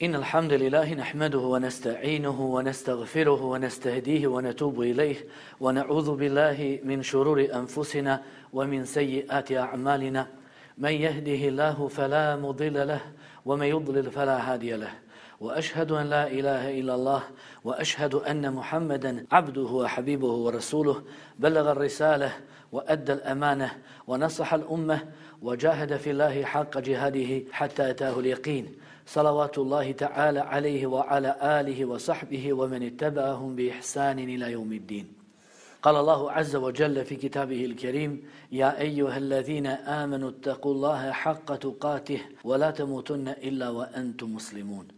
إن الحمد لله نحمده ونستعينه ونستغفره ونستهديه ونتوب إليه ونعوذ بالله من شرور أنفسنا ومن سيئات أعمالنا من يهده الله فلا مضل له ومن يضلل فلا هادي له وأشهد أن لا إله إلا الله وأشهد أن محمدا عبده وحبيبه ورسوله بلغ الرسالة وأدى الأمانة ونصح الأمة وجاهد في الله حق جهاده حتى أتاه اليقين صلوات الله تعالى عليه وعلى آله وصحبه ومن اتبعهم بإحسان إلى يوم الدين. قال الله عز وجل في كتابه الكريم: يا أيها الذين آمنوا اتقوا الله حق تقاته ولا تموتن إلا وأنتم مسلمون.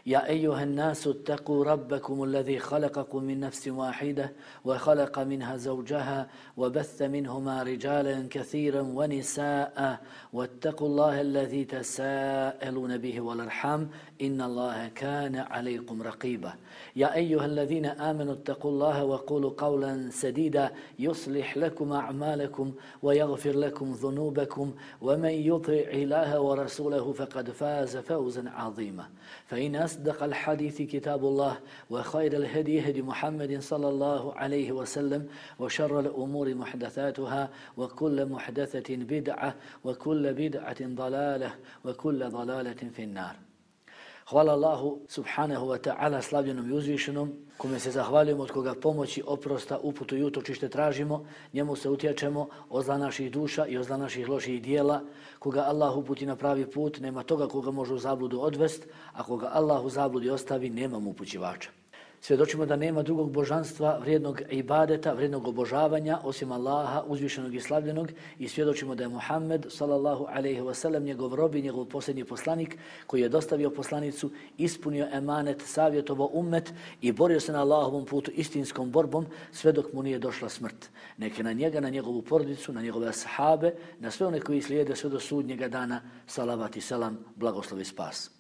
يا أيها الناس اتقوا ربكم الذي خلقكم من نفس واحدة وخلق منها زوجها وبث منهما رجالا كثيرا ونساء واتقوا الله الذي تساءلون به والأرحام إن الله كان عليكم رقيبا. يا أيها الذين آمنوا اتقوا الله وقولوا قولا سديدا يصلح لكم أعمالكم ويغفر لكم ذنوبكم ومن يطع الله ورسوله فقد فاز فوزا عظيما. فإن أصدق الحديث كتاب الله وخير الهدي هدي محمد صلى الله عليه وسلم وشر الأمور محدثاتها وكل محدثة بدعة وكل بدعة ضلالة وكل ضلالة في النار. Hvala Allahu subhanahu wa ta'ala, slavljenom i uzvišenom, kome se zahvaljujemo, od koga pomoći, oprosta, uputu i utočište tražimo, njemu se utječemo od zla naših duša i od zla naših loših dijela. Koga Allah uputi na pravi put, nema toga koga može u zabludu odvest, a koga Allah u zabludi ostavi, nema mu upućivača. Svjedočimo da nema drugog božanstva, vrijednog ibadeta, vrijednog obožavanja, osim Allaha, uzvišenog i slavljenog, i svjedočimo da je Muhammed, sallallahu alaihi wasallam, njegov rob i njegov posljednji poslanik, koji je dostavio poslanicu, ispunio emanet, savjetovao ummet i borio se na Allahovom putu istinskom borbom, sve dok mu nije došla smrt. Neke na njega, na njegovu porodicu, na njegove ashabe, na sve one koji slijede sve do sudnjega dana, salavat i selam, blagoslov i spas.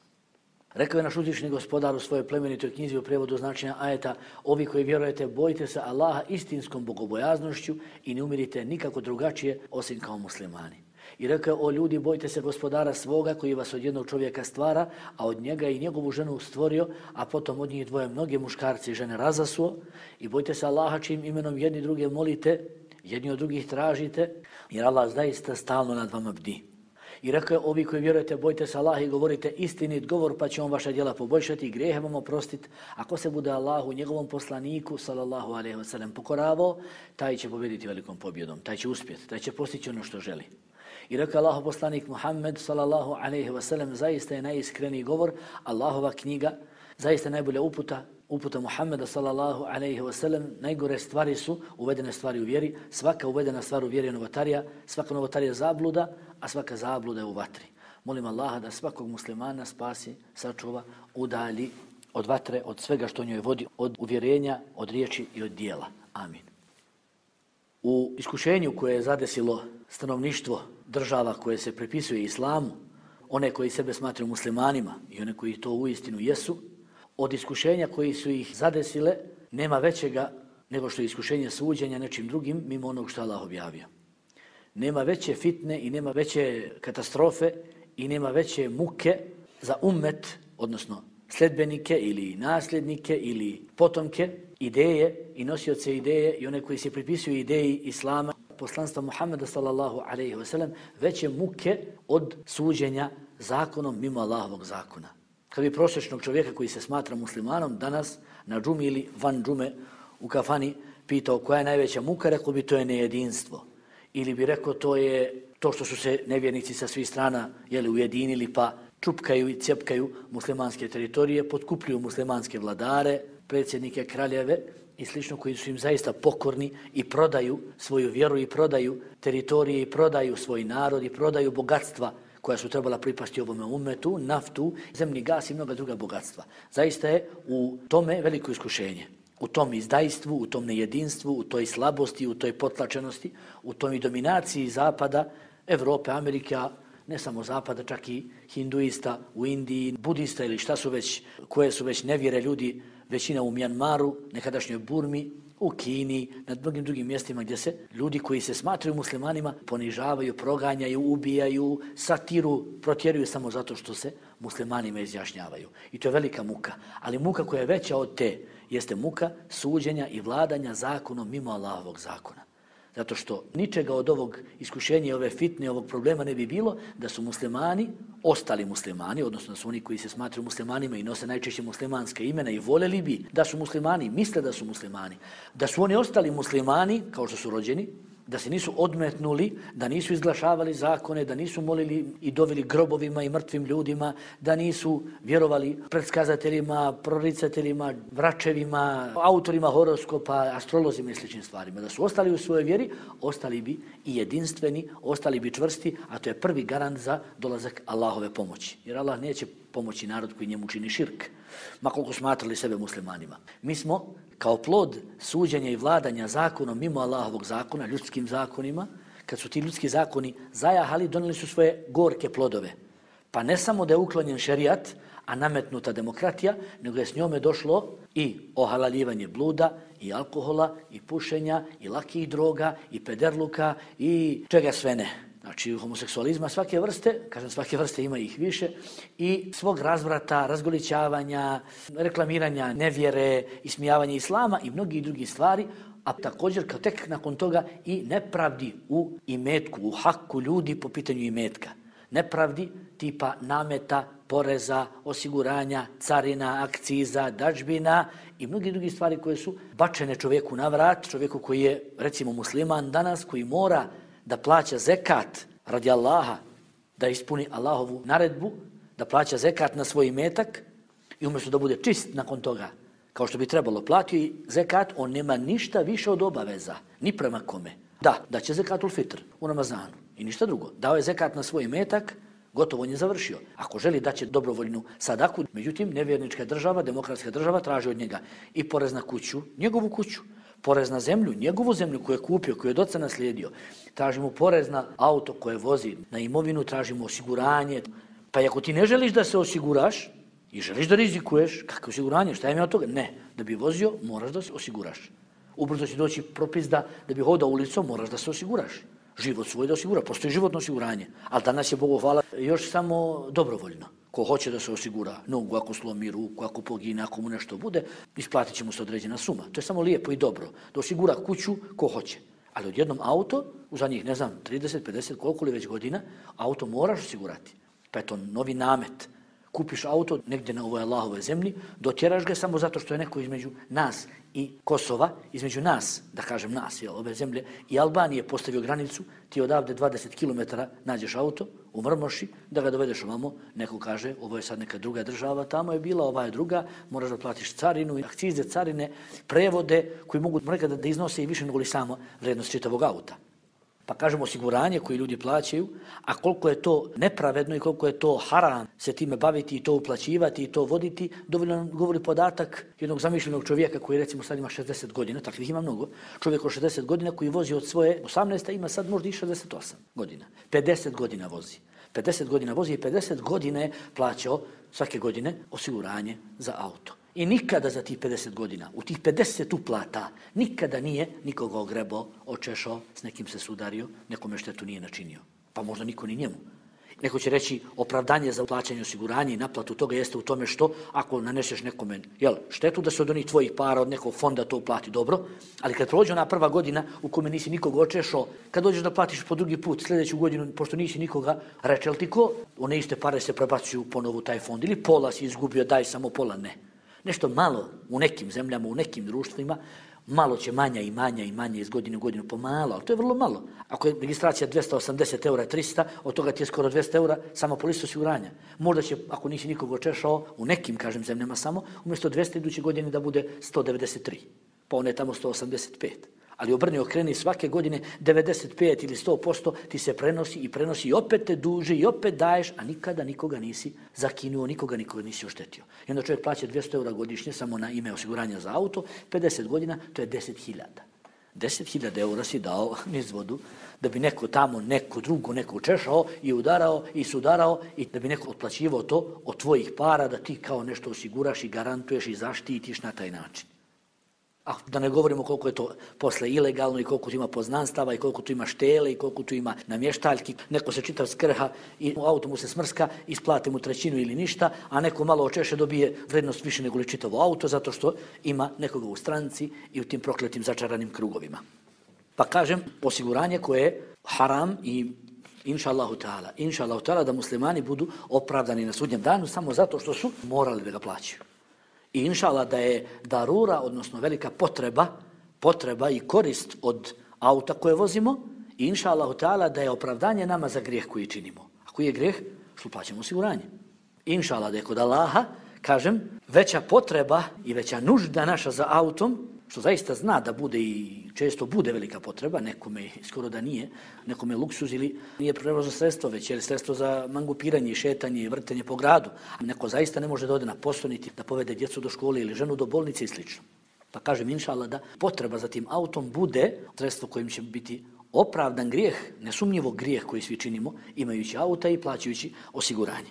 Rekao je naš uzvišeni gospodar u svojoj plemenitoj knjizi u prijevodu značenja ajeta: ovi koji vjerujete, bojite se Allaha istinskom bogobojaznošću i ne umirite nikako drugačije osim kao muslimani. I rekao je: o ljudi, bojte se gospodara svoga koji vas od jednog čovjeka stvara, a od njega i njegovu ženu stvorio, a potom od njih dvoje mnoge muškarci i žene razasuo. I bojte se Allaha čijim imenom jedni druge molite, jedni od drugih tražite, jer Allah zaista stalno nad vama bdi. I rekao je: ovi koji vjerujete, bojte se Allaha i govorite istinit govor, pa će on vaša djela poboljšati i grijehe vam oprostiti. Ako se bude Allahu, njegovom poslaniku, sallallahu alejhi ve sellem, pokoravao, taj će pobjediti velikom pobjedom, taj će uspjeti, taj će postići ono što želi. I rekao je Allahov poslanik Muhammed, sallallahu alejhi ve sellem, zaista je najiskreniji govor, Allahova knjiga, zaista najbolja uputa Muhammeda, sallallahu alejhi ve sellem. Najgore stvari su uvedene stvari u vjeri, svaka uvedena stvar u vjeri je novotarija, svaka novotarija zabluda, a svaka zabluda je u vatri. Molim Allaha da svakog muslimana spasi, sačuva, udalji od vatre, od svega što njoj vodi, od uvjerenja, od riječi i od dijela. Amin. U iskušenju koje je zadesilo stanovništvo država koje se pripisuje islamu, one koji sebe smatraju muslimanima i one koji to uistinu jesu, od iskušenja koji su ih zadesile nema većega nego što je iskušenje suđenja nečim drugim mimo onog što Allah objavio. Nema veće fitne i nema veće katastrofe i nema veće muke za ummet, odnosno sledbenike ili nasljednike ili potomke, ideje i nosioce ideje i one koji se pripisuju ideji islama, poslanstva Muhammeda, sallallahu alejhi ve sellem, veće muke od suđenja zakonom mimo Allahovog zakona. Kad bi prosječnog čovjeka koji se smatra muslimanom danas na džumi ili van džume u kafani pitao koja je najveća muka, rekao bi to je nejedinstvo. Ili bi rekao to je to što su se nevjernici sa svih strana ujedinili pa čupkaju i cijepkaju muslimanske teritorije, potkupljuju muslimanske vladare, predsjednike, kraljeve i slično, koji su im zaista pokorni i prodaju svoju vjeru i prodaju teritorije i prodaju svoj narod i prodaju bogatstva koja su trebala pripasti ovome ummetu, naftu, zemni gas i mnoga druga bogatstva. Zaista je u tome veliko iskušenje. U tom izdajstvu, u tom nejedinstvu, u toj slabosti, u toj potlačenosti, u toj dominaciji Zapada, Evrope, Amerike, ne samo Zapada, čak i hinduista u Indiji, budista ili šta su već, koje su već nevjere ljudi, većina u Mjanmaru, nekadašnjoj Burmi, u Kini, na mnogim drugim mjestima gdje se ljudi koji se smatraju muslimanima ponižavaju, proganjaju, ubijaju, satiru, protjeruju samo zato što se muslimanima izjašnjavaju. I to je velika muka. Ali muka koja je veća od te jeste muka suđenja i vladanja zakonom mimo Allahovog zakona. Zato što ničega od ovog iskušenja, ove fitne, ovog problema ne bi bilo da su muslimani, ostali muslimani, odnosno da su oni koji se smatraju muslimanima i nose najčešće muslimanske imena i voljeli bi da su muslimani, misle da su muslimani, da su oni ostali muslimani kao što su rođeni, da se nisu odmetnuli, da nisu izglašavali zakone, da nisu molili i doveli grobovima i mrtvim ljudima, da nisu vjerovali predskazateljima, proricateljima, vračevima, autorima horoskopa, astrolozima i sličnim stvarima. Da su ostali u svojoj vjeri, ostali bi i jedinstveni, ostali bi čvrsti, a to je prvi garant za dolazak Allahove pomoći. Jer Allah neće pomoći narod koji njemu čini širk, ma koliko smatrali sebe muslimanima. Mi smo kao plod suđenja i vladanja zakonom mimo Allahovog zakona, ljudskim zakonima, kad su ti ljudski zakoni zajahali, donijeli su svoje gorke plodove. Pa ne samo da je uklonjen šerijat, a nametnuta demokratija, nego je s njome došlo i ohalaljivanje bluda, i alkohola, i pušenja, i lakih droga, i pederluka, i čega sve ne. Znači homoseksualizma svake vrste, kažem svake vrste ima ih više, i svog razvrata, razgolićavanja, reklamiranja nevjere, ismijavanja islama i mnogih drugih stvari, a također kao tek nakon toga i nepravdi u imetku, u haku ljudi po pitanju imetka. Nepravdi tipa nameta, poreza, osiguranja, carina, akciza, dažbina i mnogi drugi stvari koje su bačene čovjeku na vrat, čovjeku koji je recimo musliman danas, koji mora da plaća zekat radi Allaha, da ispuni Allahovu naredbu, da plaća zekat na svoj imetak i umjesto da bude čist nakon toga, kao što bi trebalo platiti zekat, on nema ništa više od obaveza, ni prema kome. Da će zekatul fitr u Ramazanu i ništa drugo. Dao je zekat na svoj imetak, gotovo on je završio. Ako želi da će dobrovoljnu sadaku, međutim nevjernička država, demokratska država traži od njega i porez na kuću, njegovu kuću, porez na zemlju, njegovu zemlju koju je kupio, koju je od oca naslijedio. Tražimo porez na auto koje vozi, na imovinu, tražimo osiguranje. Pa i ako ti ne želiš da se osiguraš i želiš da rizikuješ, kakvo osiguranje, šta je od toga? Ne, da bi vozio moraš da se osiguraš. Ubrzo će doći propis da bi hodao ulicom moraš da se osiguraš. Život svoj da osigura, postoji životno osiguranje. Ali danas je, Bogu hvala, još samo dobrovoljno. Ko hoće da se osigura nogu, ako slomi ruku, ako pogine, ako mu nešto bude, isplatit će mu se određena suma. To je samo lijepo i dobro. Da osigura kuću ko hoće. Ali odjednom auto, u zadnjih, 30, 50, koliko li već godina, auto moraš osigurati. Pa je to novi namet. Kupiš auto negdje na ovoj Allahovoj zemlji, dotjeraš ga samo zato što je neko između nas i Kosova, između nas, da kažem nas, ove zemlje, i Albanije postavio granicu, ti odavde 20 km nađeš auto u Mrmoši, da ga dovedeš ovamo, neko kaže, ovo je sad neka druga država, tamo je bila, ova je druga, moraš da platiš carinu, akcize, carine, prevode, koji mogu nekada da iznose i više nego li samo vrednost čitavog auta. Pa kažemo osiguranje koje ljudi plaćaju, a koliko je to nepravedno i koliko je to haram se time baviti i to uplaćivati i to voditi, dovoljno nam govori podatak jednog zamišljenog čovjeka koji recimo sad ima 60 godina, takvih ima mnogo, čovjek od 60 godina koji vozi od svoje 18. ima sad možda i 68 godina. 50 godina vozi. 50 godina vozi i 50 godina je plaćao svake godine osiguranje za auto. I nikada za tih 50 godina, u tih 50 uplata, nikada nije nikoga ogrebao, očešao, s nekim se sudario, nekome štetu nije načinio. Pa možda niko ni njemu. Neko će reći opravdanje za plaćanje osiguranja i naplatu toga jeste u tome što ako naneseš nekome štetu da se od onih tvojih para, od nekog fonda to uplati dobro, ali kad prođe ona prva godina u kome nisi nikoga očešao, kad dođeš da platiš po drugi put sljedeću godinu, pošto nisi nikoga, reče li ti ko, one iste pare se prebacuju ponovo u taj fond ili pola si izgubio, daj samo pola, ne. Nešto malo u nekim zemljama, u nekim društvima, malo će manja i manja iz godine u godinu pomalo, ali to je vrlo malo. Ako je registracija 280 eura, 300, od toga ti je skoro 200 eura samo polisa osiguranja. Možda će, ako nisi nikoga očešao, u nekim, kažem, zemljama samo, umjesto 200 iduće godine da bude 193, pa one je tamo 185. Ali obrni okreni svake godine 95 ili 100% ti se prenosi i opet te duži i opet daješ, a nikada nikoga nisi zakinuo, nikoga nisi oštetio. I onda čovjek plaća 200 eura godišnje samo na ime osiguranja za auto, 50 godina, to je 10.000. 10.000 eura si dao niz vodu da bi neko tamo, neko drugo, neko češao i udarao i sudarao i da bi neko otplaćivao to od tvojih para da ti kao nešto osiguraš i garantuješ i zaštitiš na taj način. A da ne govorimo koliko je to posle ilegalno i koliko tu ima poznanstava i koliko tu ima štele i koliko tu ima namještaljki. Neko se čitav skrha i u auto mu se smrska, isplate mu trećinu ili ništa, a neko malo očeše dobije vrednost više nego li čitavo auto zato što ima nekoga u stranci i u tim prokletim začaranim krugovima. Pa kažem, osiguranje koje je haram i inša Allahu ta'ala da muslimani budu opravdani na sudnjem danu samo zato što su morali da ga plaćaju. I inša Allah da je darura, odnosno velika potreba i korist od auta koje vozimo i inša Allahu ta'ala da je opravdanje nama za grijeh koji činimo. A koji je grijeh? Što plaćamo osiguranje. Inša Allah da je kod Allaha, kažem, veća potreba i veća nužda naša za autom, što zaista zna da bude i često bude velika potreba, nekome skoro da nije, nekome luksuz ili nije prevozno sredstvo, već je sredstvo za mangupiranje, šetanje i vrtenje po gradu. Neko zaista ne može da ode na posao niti da povede djecu do škole ili ženu do bolnice i sl. Pa kažem, inša Allah, da potreba za tim autom bude sredstvo kojim će biti opravdan grijeh, nesumnjivo grijeh koji svi činimo, imajući auta i plaćajući osiguranje.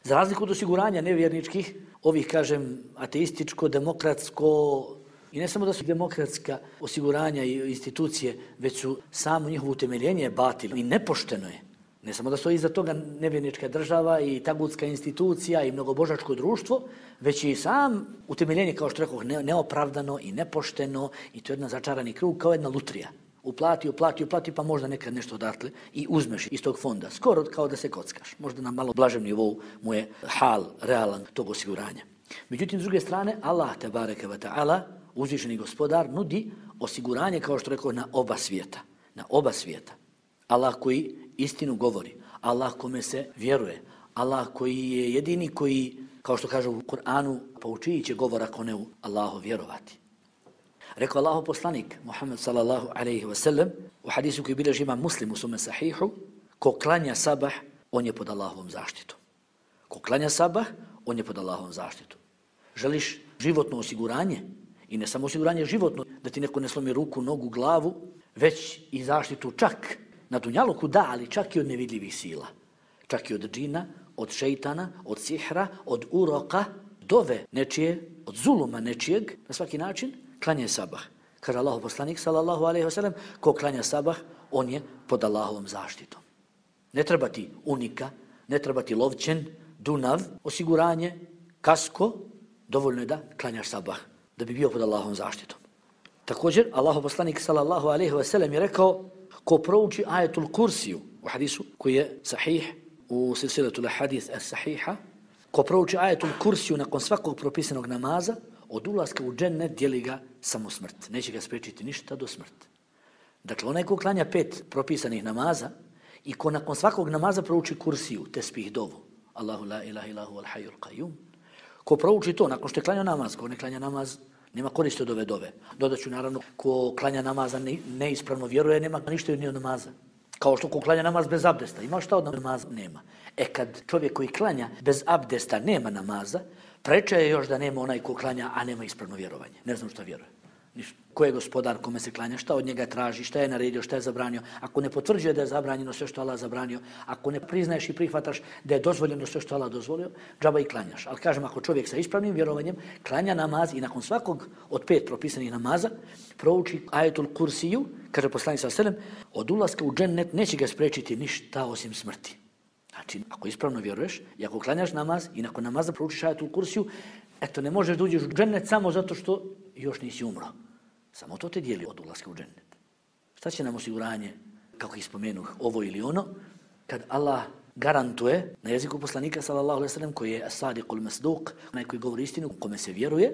Za razliku od osiguranja nevjerničkih, ovih, kažem, ateističko, demokratsko, i ne samo da su demokratska osiguranja i institucije, već su samo njihovo utemeljenje batil i nepošteno je. Ne samo da stoji iza toga nevjernička država i tagutska institucija i mnogobožačko društvo, već i sam utemeljenje, kao što rekoh, neopravdano i nepošteno i to je jedan začarani krug kao jedna lutrija. Uplati, pa možda nekad nešto odatle i uzmeš iz tog fonda. Skoro kao da se kockaš. Možda na malo blažem nivou mu je hal, realan tog osiguranja. Međutim, s druge strane, Allah, tebareke ve ta'ala, uzvišeni gospodar, nudi osiguranje, kao što rekao, na oba svijeta. Na oba svijeta. Allah koji istinu govori. Allah kome se vjeruje. Allah koji je jedini koji, kao što kaže u Kur'anu, poučiji će govor ako ne u Allahu vjerovati. Rekao Allahu poslanik, Muhammed sallallahu alaihi wa sallam, u hadisu koji bilježi ima Muslim u svome sahihu, ko klanja sabah, on je pod Allahovom zaštitom. Ko klanja sabah, on je pod Allahovom zaštitom. Želiš životno osiguranje? I ne samo osiguranje životno, da ti neko ne slomi ruku, nogu, glavu, već i zaštitu čak na dunjaluku, da, ali čak i od nevidljivih sila. Čak i od džina, od šeitana, od sihra, od uroka, dove nečije, od zuluma nečijeg, na svaki način, klanja sabah. Kaže Allahu poslanik, sallallahu alaihi wa sallam, ko klanja sabah, on je pod Allahovom zaštitom. Ne treba ti unika, ne treba ti lovčen, dunav, osiguranje, kasko, dovoljno je da klanjaš sabah, da bi bio pod Allahovom zaštitom. Također, Allahu poslanik sallallahu alejhi ve sellem je rekao, ko prouči ajetul kursiju u hadisu koji je sahih u silsilatul hadis as-sahiha, ko prouči ajetul kursiju nakon svakog propisanog namaza, od ulaska u džennet dijeli ga samo smrt. Neće ga spriječiti ništa do smrti. Dakle, onaj ko klanja 5 propisanih namaza i ko nakon svakog namaza prouči kursiju, tesbih dovu, Allahu la ilaha illa huwal hayyul qayyum, ko prouči to nakon što je klanjao namaz, ko ne klanja namaz, nema koristi od ove dove. Dodaću naravno, ko klanja namaza neispravno vjeruje, nema ništa ni od namaza. Kao što ko klanja namaz bez abdesta, ima šta od namaza? Nema. Kad čovjek koji klanja bez abdesta nema namaza, preče je još da nema onaj ko klanja, a nema ispravno vjerovanje. Ne znam šta vjeruje. Ko je gospodar kome se klanja, šta od njega traži, šta je naredio, šta je zabranio. Ako ne potvrđuje da je zabranjeno sve što Allah zabranio, ako ne priznaješ i prihvataš da je dozvoljeno sve što Allah dozvolio, džaba i klanjaš. Ali kažem, ako čovjek sa ispravnim vjerovanjem klanja namaz i nakon svakog od 5 propisanih namaza prouči ajetul kursiju, kaže poslanik sallallahu alejhi ve sellem, od ulaska u džennet neće ga spriječiti ništa osim smrti. Znači, ako ispravno vjeruješ i ako klanjaš namaz i nakon namaza proučiš ajetul kursiju, eto, ne možeš da uđeš u džennet samo zato što još nisi umro. Samo to te dijeli od ulaska u džennet. Šta će nam osiguranje, kako ih spomenuh, ovo ili ono, kad Allah garantuje na jeziku poslanika sallallahu alejhi ve sellem koji je as-sadiqul masduq, onaj koji govori istinu, kome se vjeruje,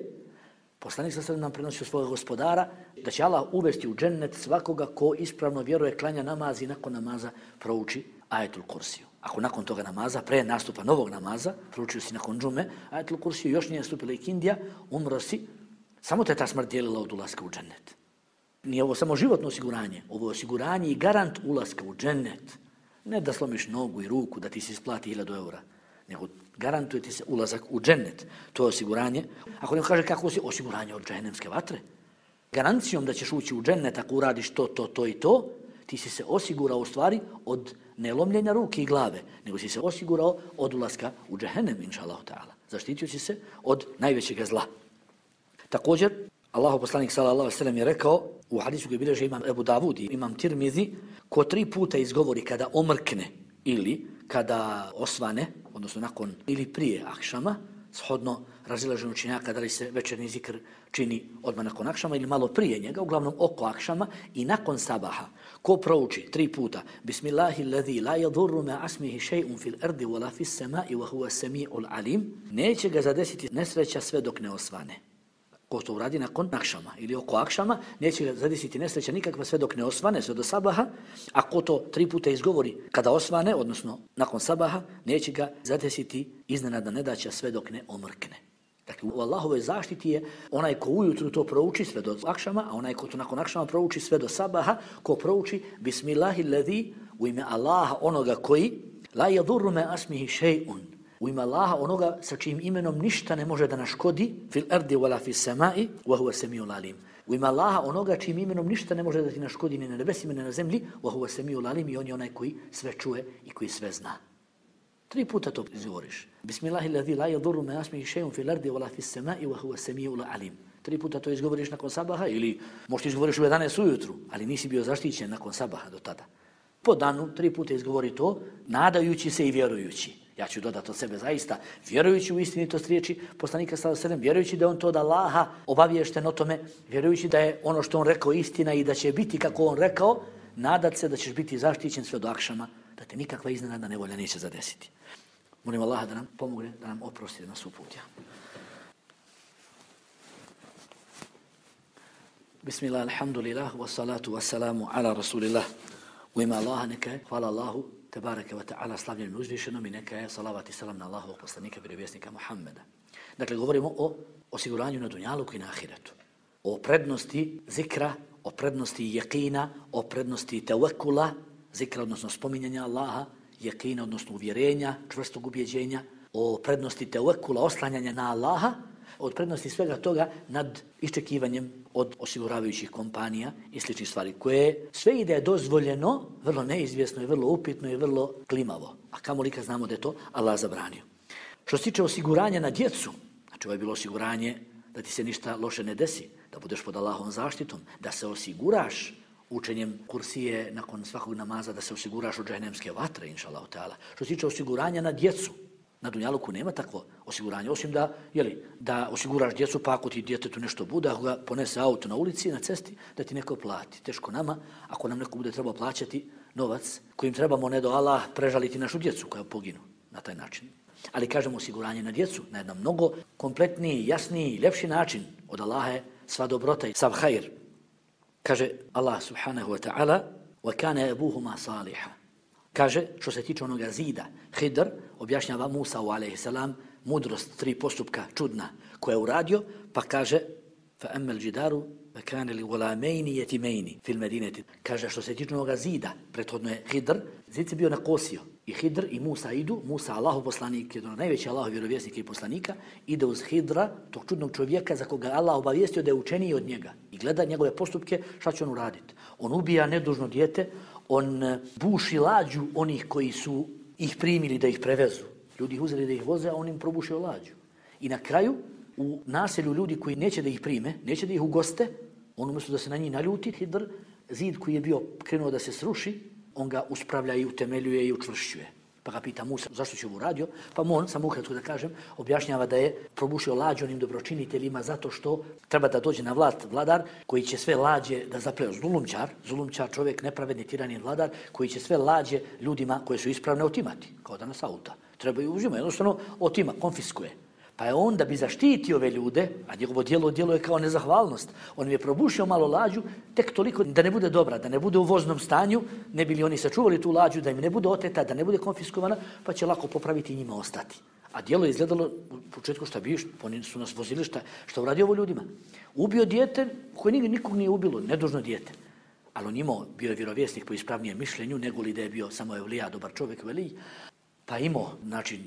poslanik sallallahu alejhi ve sellem nam prenosi od svoga gospodara da će Allah uvesti u džennet svakoga ko ispravno vjeruje, klanja namaz i nakon namaza prouči ajetul kursiju. Ako nakon toga namaza, pre nastupa novog namaza, proučio si nakon džume, ajetul kursiju, još nije nastupila ikindija, umro si, samo te ta smrt dijelila od ulaska u džennet. Nije ovo samo životno osiguranje, ovo je osiguranje i garant ulaska u džennet. Ne da slomiš nogu i ruku, da ti se isplati 1000 eura, nego garantuje ti se ulazak u džennet. To je osiguranje. Ako neko kaže kako si, osiguranje od džehennemske vatre. Garancijom da ćeš ući u džennet ako uradiš to i to, ti si se osigurao u stvari od nelomljenja ruke i glave, nego si se osigurao od ulaska u džehennem, inša Allah ta'ala. Zaštitio si se od najvećeg zla. Također, Allahu poslanik sallallahu alejhi ve sellem je rekao u hadisu koji bilježi imam Ebu Davud i imam Tirmizi, ko 3 puta izgovori kada omrkne ili kada osvane, odnosno nakon ili prije akšama, shodno razilaženju učenjaka da li se večernji zikr čini odmah nakon akšama ili malo prije njega, uglavnom oko akšama i nakon sabaha. Ko prouči 3 puta Bismillahilladzi la yadurru ma asmihi shay'un fil ardi wala fis sama'i wa huwa as-sami'ul alim, neće ga zadesiti nesreća sve dok ne osvane. Ko to uradi nakon akšama ili oko akšama, neće ga zadesiti nesreća nikakva sve dok ne osvane, sve do sabaha, a ko to 3 puta izgovori kada osvane, odnosno nakon sabaha, neće ga zadesiti iznenadna nedaća sve dok ne omrkne. Dakle, u Allahovoj zaštiti je onaj ko ujutru to prouči sve do akšama, a onaj ko to nakon akšama prouči sve do sabaha, ko prouči Bismillahilladzi u ime Allaha onoga koji la yadurru ma asmihi shay'un, u ime Allaha onoga sa čijim imenom ništa ne može da naškodi, fil ardi wala fis sama'i wa huwa samiul alim. U ime Allaha onoga čijim imenom ništa ne može da ti naškodi ni na nebesima ni na zemlji, wa huwa samiul alim, i on je onaj koji sve čuje i koji sve zna. 3 puta to izgovoriš. Bismillahilladzi la yadurru ma asmihi shay'un fil ardi wala fis sama'i wa huwa samiul alim. 3 puta to izgovoriš nakon sabaha ili možda izgovoriš u 11 ujutru, ali nisi bio zaštićen nakon sabaha do tada. Po danu 3 puta izgovori to, nadajući se i vjerujući. Ja ću dodati od sebe zaista, vjerujući u istinitost riječi poslanika sallallahu alejhi ve sellem, vjerujući da on to od Allaha obaviješten o tome, vjerujući da je ono što on rekao istina i da će biti kako on rekao, nadat se da ćeš biti zaštićen sve do akšama, da te nikakva iznenadna nevolja neće zadesiti. Molim Allaha da nam pomogne, da nam oprosti, da nas uputi. Bismillah, alhamdulillah, wassalatu wassalamu ala rasulillah. U ime Allaha neka je, hvala Allahu, tebareke wa ta'ala, slavljenim uzvišenom, i neka je salavat i salam na Allahovog poslanika, vjerovjesnika Muhammeda. Dakle, govorimo o osiguranju na dunjaluku i na ahiretu. O prednosti zikra, o prednosti jekina, o prednosti tevekula, zikra odnosno spominjanja Allaha, jekina odnosno uvjerenja, čvrstog ubjeđenja, o prednosti tevekula, oslanjanja na Allaha, od prednosti svega toga nad iščekivanjem od osiguravajućih kompanija i sličnih stvari, koje sve ide dozvoljeno, vrlo neizvjesno i vrlo upitno i vrlo klimavo. A kamoli kad znamo da je to Allah zabranio. Što se tiče osiguranja na djecu, znači ovo je bilo osiguranje da ti se ništa loše ne desi, da budeš pod Allahovom zaštitom, da se osiguraš učenjem kursije nakon svakog namaza, da se osiguraš od džehennemske vatre, inšallahu ta'ala. Što se tiče osiguranja na djecu, na dunjaluku nema takvo osiguranje, osim da osiguraš djecu, pa ako ti djetetu nešto bude, ako ga ponese auto na ulici, na cesti, da ti neko plati. Teško nama, ako nam neko bude trebao plaćati novac kojim trebamo, ne do Allah, prežaliti našu djecu koja poginu na taj način. Ali kažemo osiguranje na djecu na jedan mnogo kompletniji, jasniji, ljepši način. Od Allaha je sva dobrota i sav hajr. Kaže Allah subhanahu wa ta'ala وَكَانَ أَبُوهُمَا صَالِحًا. Kaže, što se tiče onoga zida, Hidr objašnjava Musa a.s. mudrost 3 postupka čudna koja je uradio, pa kaže فَأَمَّا الْجِدَارُ فَكَانَ لِغُلَامَيْنِ يَتِمَيْنِ فِي الْمَدِينَةِ. Kaže, što se tiče onoga zida, prethodno je Hidr, zid se bio nakosio. I Hidr i Musa idu, Musa Allahov poslanik, jedan najveći Allahov vjerovjesnik i poslanika, ide uz Hidra, tog čudnog čovjeka za koga Allah obavijestio da je učeniji od njega. I gleda njegove postupke, šta će on uraditi. On ubija nedužno dijete, on buši lađu onih koji su ih primili da ih prevezu. Ljudi ih uzeli da ih voze, a on im probušio lađu. I na kraju, u naselju ljudi koji neće da ih prime, neće da ih ugoste, on umjesto da se na njih naljuti, Hidr, zid koji je bio krenuo da se sruši, on ga uspravlja i utemeljuje i učvršćuje. Pa ga pita Musa zašto će ovo uradio, pa on, samo ukratko da kažem, objašnjava da je probušio lađu onim dobročiniteljima zato što treba da dođe na vlast vladar koji će sve lađe da zapleo. Zulumčar, čovjek, nepravedni tirani vladar koji će sve lađe ljudima koje su ispravne otimati, kao danas auta. Treba ih uzima, jednostavno otima, konfiskuje. Pa je on da bi zaštitio ove ljude, a njegovo djelo je kao nezahvalnost, on je probušio malo lađu, tek toliko da ne bude dobra, da ne bude u voznom stanju, ne bi li oni sačuvali tu lađu, da im ne bude oteta, da ne bude konfiskovana, pa će lako popraviti i njima ostati. A djelo je izgledalo u početku šta biš, oni su nas vozili šta uradio ovo ljudima. Ubio dijete koje nikog nije ubilo, nedužno dijete. Ali on imao, bio je vjerovjesnik po ispravnijem mišljenju, nego li da je bio samo evlija, dobar čovjek, velij, pa imao, znači,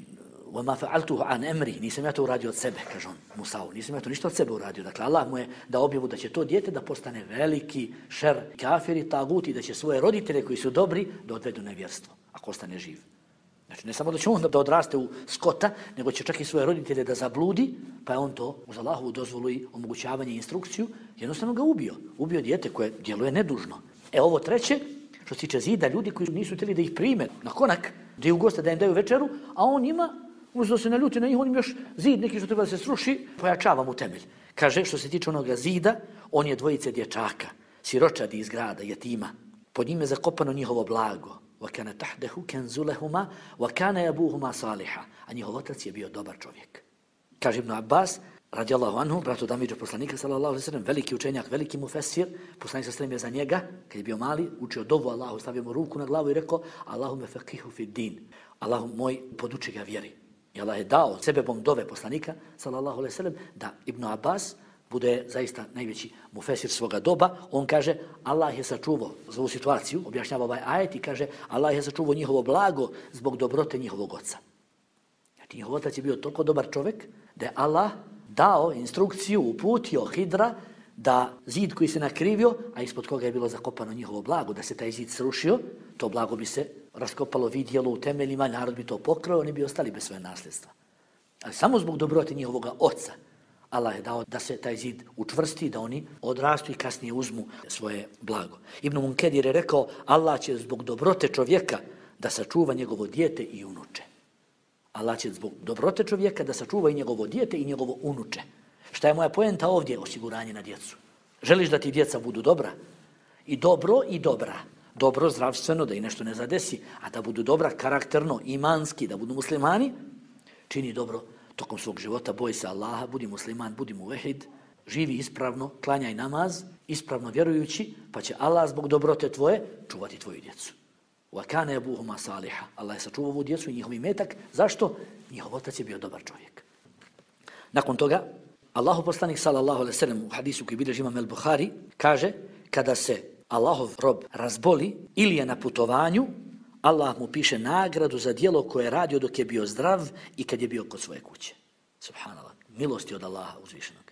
وَمَا فَعَلْتُهُ عَنْ أَمْرِي. Nisam ja to uradio od sebe, kaže on Musa'u. Nisam ja to ništa od sebe uradio. Dakle, Allah mu je da objavu da će to dijete da postane veliki šer, kafiri, taguti, da će svoje roditelje koji su dobri da odvedu nevjerstvo, ako ostane živ. Znači, ne samo da će on da odraste u skota, nego će čak i svoje roditelje da zabludi, pa je on to uz Allahovu dozvolu i omogućavanje i instrukciju, jednostavno ga ubio. Ubio dijete koje djeluje nedužno. Ovo treće, što se tiče zida, ljudi koji nisu htjeli da ih prime na konak, da je u goste da im daju večeru, a on njima, umjesto se naljuti na njih, on im još zid neki što treba da se sruši, pojačava mu temelj. Kaže, što se tiče onoga zida, on je dvojice dječaka, siročadi iz grada, jetima. Pod njime je zakopano njihovo blago. وَكَانَ تَحْدَهُ كَنْزُلَهُمَا وَكَانَ يَبُوهُمَا صَالِحًا. A njihov otac je bio dobar čovjek. Kaže Ibn Abbas, radijallahu anhu, bratu Damiđa poslanika, sallallahu alejhi ve sellem, veliki učenjak, veliki mufesir, poslanik se stremio za njega, kad je bio mali, učio dovu Allahu, stavio mu ruku na glavu i rekao: Allahume faqihu fi din. Allahu moj, poduči ga vjeri. I Allah je dao sebebom dove poslanika, sallallahu alejhi ve sellem, da Ibn Abbas bude zaista najveći mufesir svoga doba. On kaže, Allah je sačuvao za ovu situaciju, objašnjava ovaj ajet i kaže, Allah je sačuvao njihovo blago zbog dobrote njihovog oca. Znači, njihov otac je bio toliko dobar čovjek da je Allah dao instrukciju, uputio Hidra da zid koji se nakrivio, a ispod koga je bilo zakopano njihovo blago, da se taj zid srušio, to blago bi se raskopalo, vidjelo u temeljima, narod bi to pokrao, oni bi ostali bez svoje nasljedstva. Ali samo zbog dobrote njihovoga oca Allah je dao da se taj zid učvrsti, da oni odrastu i kasnije uzmu svoje blago. Ibn Munkedir je rekao, Allah će zbog dobrote čovjeka da sačuva njegovo dijete i unuče. Allah će zbog dobrote čovjeka da sačuva i njegovo dijete i njegovo unuče. Šta je moja poenta ovdje? Osiguranje na djecu. Želiš da ti djeca budu dobra? I dobro i dobra. Dobro zdravstveno, da i nešto ne zadesi, a da budu dobra karakterno, imanski, da budu muslimani, čini dobro tokom svog života, boj se Allaha, budi musliman, budi muvehid, živi ispravno, klanjaj namaz, ispravno vjerujući, pa će Allah zbog dobrote tvoje čuvati tvoju djecu. وَكَانَ يَبُوهُمَا صَالِحًا. Allah je sačuvao ovu djecu i njihov imetak. Zašto? Njihov otac je bio dobar čovjek. Nakon toga, Allahu poslanik sallallahu alejhi ve sellem u hadisu koji bilježi Imam el-Buhari kaže, kada se Allahov rob razboli ili je na putovanju, Allah mu piše nagradu za djelo koje je radio dok je bio zdrav i kad je bio kod svoje kuće. Subhanallah. Milosti od Allaha uzvišenog.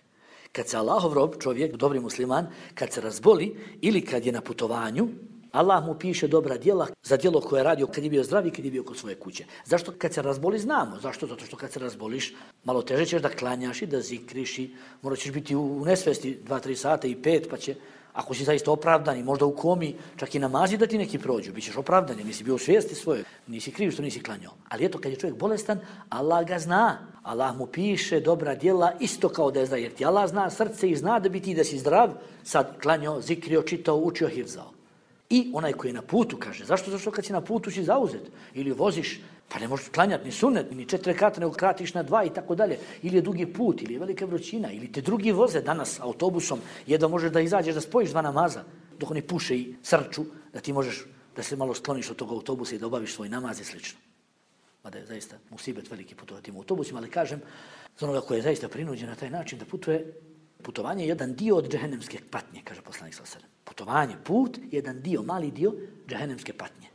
Kad se Allahov rob, čovjek, dobri musliman, kad se razboli ili kad je na putovanju, Allah mu piše dobra djela za djelo koje je radio kad je bio zdrav i kad je bio kod svoje kuće. Zašto kad se razboli znamo? Zašto? Zato što kad se razboliš, malo teže ćeš da klanjaš i da zikriš i morat ćeš biti u nesvesti 2-3 sata i 5, pa će, ako si zaista opravdan i možda u komi, čak i namazi da ti neki prođu, bit ćeš opravdan jer nisi bio u svijesti svoje, nisi kriv što nisi klanjao. Ali eto, kad je čovjek bolestan, Allah ga zna. Allah mu piše dobra djela isto kao da je zdrav, jer ti Allah zna srce i zna da bi ti da si zdrav, sad klanjao, zikrio, čitao, učio, hifzao. I onaj koji je na putu, kaže, zašto? Zašto kad si na putu si zauzet? Ili voziš, pa ne možeš klanjati ni sunnet, ni 4 rekata, nego kratiš na 2 i tako dalje. Ili je dugi put, ili je velika vrućina, ili te drugi voze danas autobusom, jedva možeš da izađeš, da spojiš 2 namaza, dok oni puše i srču, da ti možeš da se malo skloniš od tog autobusa i da obaviš svoj namaz i slično. Mada je zaista musibet veliki putovati u autobusima, ali kažem, za onoga koji je zaista prinuđen na taj način da putuje, putovanje je jedan dio od džehennemske patnje, kaže poslanik sallallahu alejhi ve sellem. Putovanje, put, jedan dio, mali dio džehennemske patnje.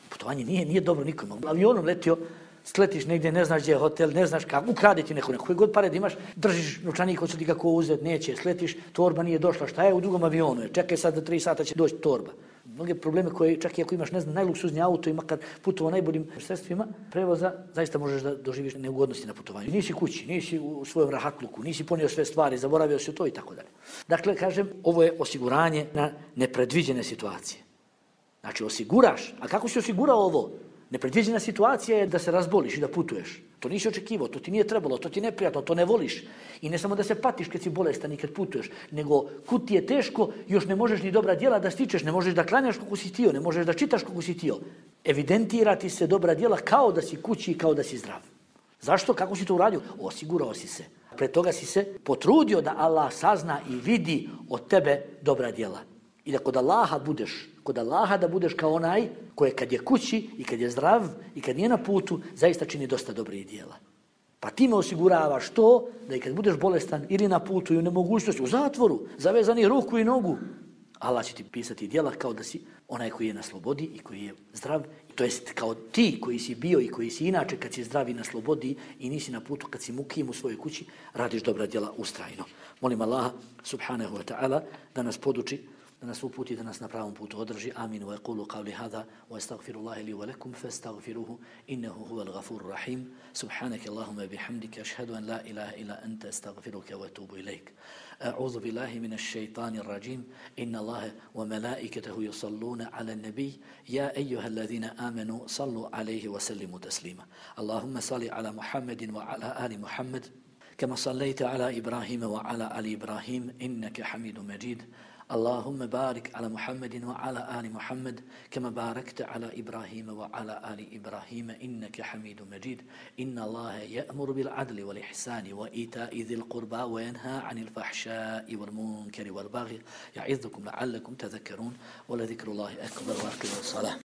Putovanje nije dobro nikome. Avionom letio, sletiš negdje, ne znaš gdje je hotel, ne znaš kako, ukrade ti neko, koji god pare da imaš, držiš novčanik, hoće ti ga ko uzeti, neće, sletiš, torba nije došla, šta je u drugom avionu, čekaj sad da 3 sata će doći torba. Mnoge probleme koje čak i ako imaš, ne znam, najluksuzniji auto i makar putovao najboljim sredstvima prevoza, zaista možeš da doživiš neugodnosti na putovanju. Nisi kući, nisi u svojom rahatluku, nisi ponio sve stvari, zaboravio si to i tako dalje. Dakle, kažem, ovo je osiguranje na nepredviđene situacije. Znači, osiguraš. A kako si osigurao ovo? Nepredviđena situacija je da se razboliš i da putuješ. To nisi očekivao, to ti nije trebalo, to ti neprijatno, to ne voliš. I ne samo da se patiš kad si bolestan i kad putuješ, nego kud ti je teško, još ne možeš ni dobra djela da stičeš, ne možeš da klanjaš kako si htio, ne možeš da čitaš kako si htio. Evidentira ti se dobra djela kao da si kući i kao da si zdrav. Zašto? Kako si to uradio? Osigurao si se. Pre toga si se potrudio da Allah sazna i vidi od tebe dobra djela. I da kod Allaha da budeš kao onaj koji kad je kući i kad je zdrav i kad nije na putu, zaista čini dosta dobrih djela. Pa ti me osiguravaš to da i kad budeš bolestan ili na putu i u nemogućnosti, u zatvoru, zavezani ruku i nogu, Allah će ti pisati djela kao da si onaj koji je na slobodi i koji je zdrav. To jest kao ti koji si bio i koji si inače kad si zdrav i na slobodi i nisi na putu, kad si mukim u svojoj kući, radiš dobra djela ustrajno. Molim Allaha subhanahu wa ta'ala da nas poduči da nas uputi, da nas na pravom putu održi. Amin. Wa yaqulu qawli hadha wa astaghfirullaha li wa lakum fastaghfiruhu innahu huwal ghafurur rahim. Subhanaka Allahumma bihamdika ashhadu an la ilaha illa anta astaghfiruka wa atubu ilayk. A'udhu billahi minash shaitanir rajim. Inna Allaha wa malaikatahu yusalluna 'alan nabiy ya ayyuhalladhina amanu sallu 'alayhi wa sallimu taslima. Allahumma salli 'ala Muhammadin wa 'ala ali Muhammad كما صليت على إبراهيم وعلى آل إبراهيم إنك حميد مجيد. اللهم بارك على محمد وعلى آل محمد كما باركت على إبراهيم وعلى آل إبراهيم إنك حميد مجيد. إن الله يأمر بالعدل والإحسان وإيتاء ذي القربى وينهى عن الفحشاء والمنكر والبغي يعظكم لعلكم تذكرون ولذكر الله أكبر وأقيموا الصلاة.